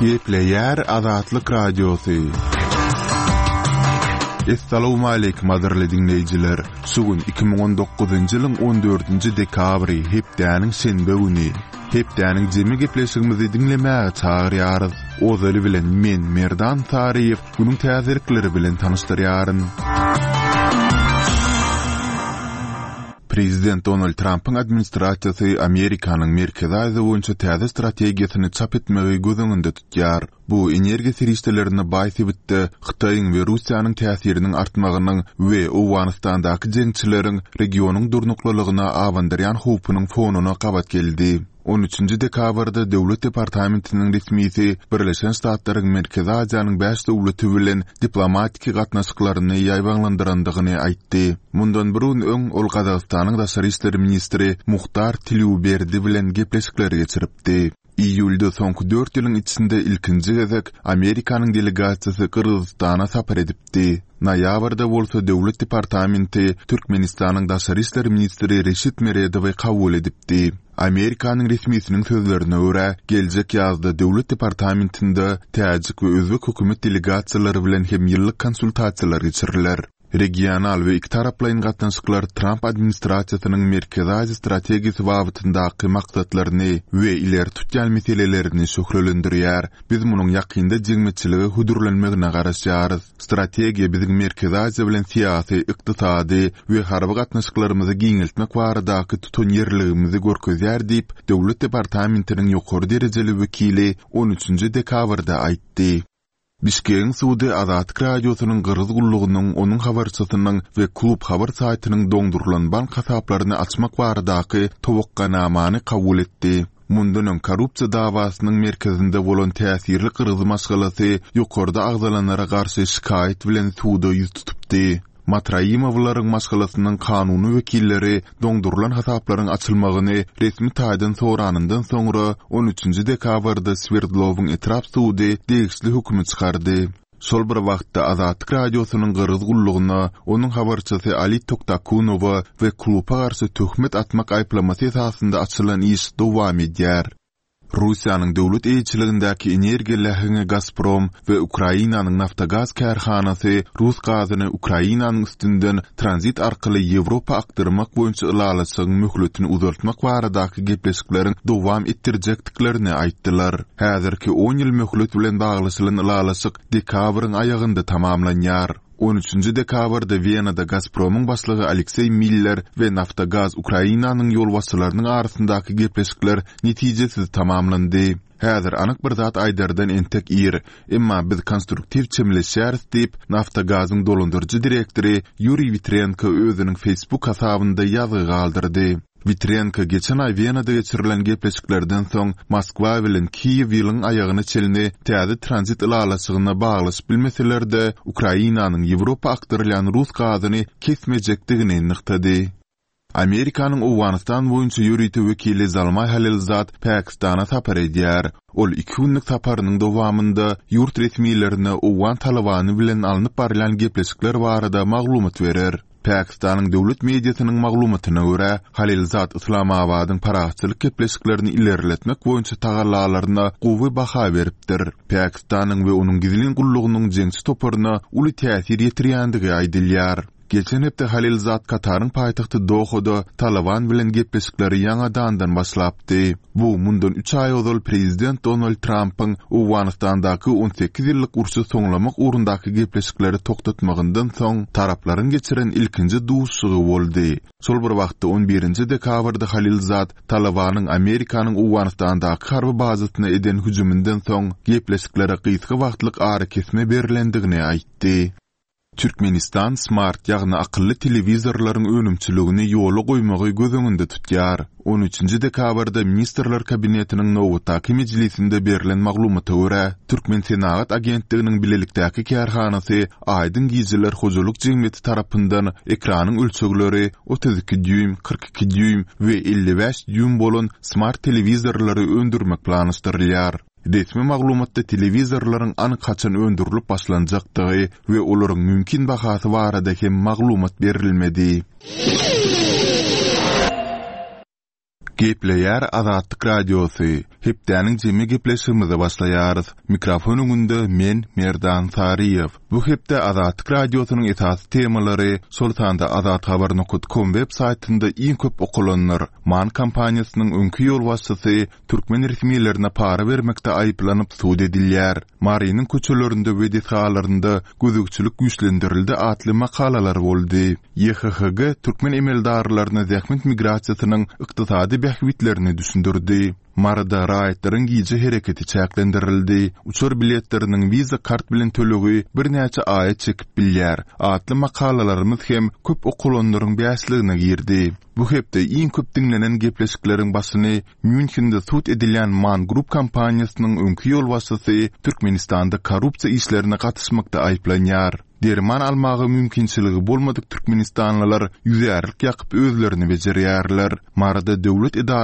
Gepleýär Azatlyk Radiosy. Essalawmaleýkim gadyrly diňleýjiler! Şu gün 2019-njy ýylyň 14-nji dekabry, hepdäniň şenbe güni. Hepdäniň jemi gepleşigimizi diňlemäge çagyrýarys. Ozaly bilen men, Merdan Saryýew, günüň täzelikleri bilen tanyşdyrýaryn. Prezident Donald Trampyň administrasiýasy Amerikanyň Merkezi Aziýa boýunça täze strategiýasyny çap etmegi göz öňünde tutýar. Bu energiýa serişdelerine baý sebitde Hytaýyň we Russiýanyň täsiriniň artmagynyň we Owganystandaky jeňçileriň regionyň durnuklylygyna abandyrýan howpunyň fonuna gabat geldi. On üçünji dekabrda Döwlet departamentiniň resmisi Birleşen Ştatlaryň Merkezi Aziýanyň bäş döwleti bilen diplomatiki gatnaşyklaryny ýaýbaňlandyrandygyny aýtdy. Mundan bir gün öň ol Gazagystanyň daşary işler ministri Muhtar Tileuberdi bilen gepleşikleri geçiripdi. Iýulda soňky dört ýylyň içinde ilkinji gezek Amerikanyň delegasiýasy Gyrgyzystana sapar edipdi. Noýabrda bolsa Döwlet departamenti Türkmenistanyň daşary işler ministri Reşit Meredowy kabul edipdi. Amerikanyň resmisiniň sözlerine görä, geljek ýazda Döwlet departamentinde täjik we özbek hökümet delegasiýalary bilen hem ýyllyk konsultasiýalar geçiriler. Regional we ikitaraplaýyn gatnaşyklar Tramp administrasiýasynyň Merkezi Aziýa strategiýasy babatyndaky maksatlaryny we ileri tutýan meselelerini şöhlelendirýär. Biz munuň ýakynda jemgyýetçilige hödürlenmegine garaşýarys. Strategiýa biziň Merkezi Aziýa bilen syýasy, ykdysady we harby gatnaşyklarymyzy giňeltmek baradaky tutanýerliligimizi görkezýär diýip, Döwlet departamentiniň ýokary derejeli wekili on üçünji dekabrda aýtdy. Bişkegiň sudy Azatlyk Radiosynyň Gyrgyz gullugynyň, onuň habarçysynyň we Klub habar saýtynyň doňdurylan bank hasaplaryny açmak baradaky towakganamany kabul etdi. Mundan öň korrupsiýa dawasynyň merkezinde bolan täsirli gyrgyz maşgalasy ýokarda agzalanlara garşy şikaýat bilen suda ýüz tutupdy. Matraimowlaryň maşgalasynyň kanuny wekilleri doňdurylan hasaplaryň açylmagyny resmi taýdan soranyndan soňra, on üçünji dekabrda Swerdlowyň etrap sudy degişli hökümi çykardy. Şol bir wagtda, Azatlyk Radiosynyň Gyrgyz gullugyna, onuň habarçysy Ali Toktakunowa we Klupa garşy töhmet atmak aýyplamasy esasynda açylan iş dowam edýär. Russiýanyň döwlet eýeçiligindäki energiýa läheňi Gazprom we Ukrainanyň Naftogaz kärhanasy rus gazyny Ukrainanyň üstünden tranzit arkaly Ýewropa akdyrmak boýunça ylalaşygyň möhletini uzaltmak baradaky gepleşikleriň dowam etdirjekdiklerini aýtdylar. Häzirki on ýyl möhlet bilen baglaşylan ylalaşyk dekabryň aýagynda tamamlanýar. On üçünji dekabrda Wenada Gazpromyň başlygy Alekseý Miller we Naftogaz Ukrainanyň ýolbaşçylarynyň arasyndaky gepleşikler netijesiz tamamlandy. Häzir anyk bir zat aýdardan entek ir, emma biz konstruktiw çemeleşýäris diýip, Naftogazyň dolandyryjy direktory Ýuriý Witrenko özüniň Facebook hasabynda ýazgy galdyrdy. Witrenko geçen aý Wenada geçirilen gepleşiklerden soň Moskwa bilen Kiýew ýylyň aýagyna çenli täze tranzit ylalaşygyna baglaşyp bilmeseler-de, Ukrainanyň Ýewropa akdyrylýan rus gazyny kesmejekdigini nygtady. Amerikanyň Owganystan boýunça ýörite wekili Zalmaý Halilzad Pakistana sapar edýär. Ol iki günlük saparynyň dowamynda ýurt resmilerine owgan Talybany bilen alnyp barylýan gepleşikler barada maglumat berer. Pakistanyň döwlet mediasynyň maglumatyna görä, Halilzad Yslamabadyň parahatçylyk gepleşiklerini ilerletmek boýunça tagallalaryna gowy baha beripdir. Pakistanyň we onuň gizlin gullugynyň jeňçi toparyna uly täsir ýetirýändigi aýdylýar. Geçen hepde Halilzad Kataryň paýtagty Dohada Talyban bilen gepleşikleri ýaňadandan başlapdy. Bu mundan üç aý ozal prezident Donald Trampyň Owganystandaky 18 ýyllyk urşy soňlamak ugrundaky gepleşikleri togtatmagyndan soň taraplaryň geçiren ilkinji duşuşygy boldy. Şol bir wagtda, on birinji dekabrda Halilzad Talybanyň Amerikanyň Owganystandaky harby bazasyna eden hüjüminden soň gepleşiklere gysga wagtlyk arakesme berlendigini aýtdy. Türkmenistan smart, ýagny akylly telewizorlaryň önümçiligini ýola goýmagy göz öňünde tutýar. On üçünji dekabrda Ministrler Kabinetiniň nobatdaky mejlisinde berlen maglumata görä, Türkmensenagat agentliginiň bilelikdäki kärhanasy Aýdyň gijeler hojalyk jemgyýeti tarapyndan ekranyň ölçegleri 32 dýuým, 42 dýuým we 55 dýuým bolan smart telewizorlary öndürmek planlaşdyrylýar. Resmi maglumatda telewizorlaryň anyk haçan öndürilip başlanjakdygy we olaryň mümkin bahasy barada hem maglumat berilmedi. Gepleýär Azatlyk Radiosy, Hepdäniň jemi gepleşigimize başlaýarys. Mikrofon öňünde men, Merdan Saryýew. Bu hepde Azatlyk Radiosynyň esasy temalary, şol sanda azathabar nokat kom web saýtynda iň köp okalanlar, MAN kompaniýasynyň öňki ýolbaşçysy türkmen resmilerine para bermekde aýyplanyp sud edilýär, Marynyň köçelerinde we desgalarynda gözegçilik güýçlendirildi atly makalalar boldy. YHHG türkmen emeldarlaryna zähmet migrasiýasynyň ykdysady bähbitlerini düşündirdi. Maryda raýatlaryň gije hereketi çäklendirildi, uçar biletleriniň Visa kart bilen tölegi birnäçe aýa çekip bilýär atly makalalarymyz hem köp okalanlaryň bäşligine girdi. Bu hepde iň köp diňlenen gepleşikleriň başyny Mýunhende sud edilýän Man Group kompaniýasynyň öňki ýolbaşçysy Türkmenistanda korrupsiýa işlerine gatyşmakda aýyplanýar. Derman almaga mümkinçiligi bolmadyk türkmenistanlylar ýüzärlik ýakyp özlerini bejerýärler. Maryda döwlet edara.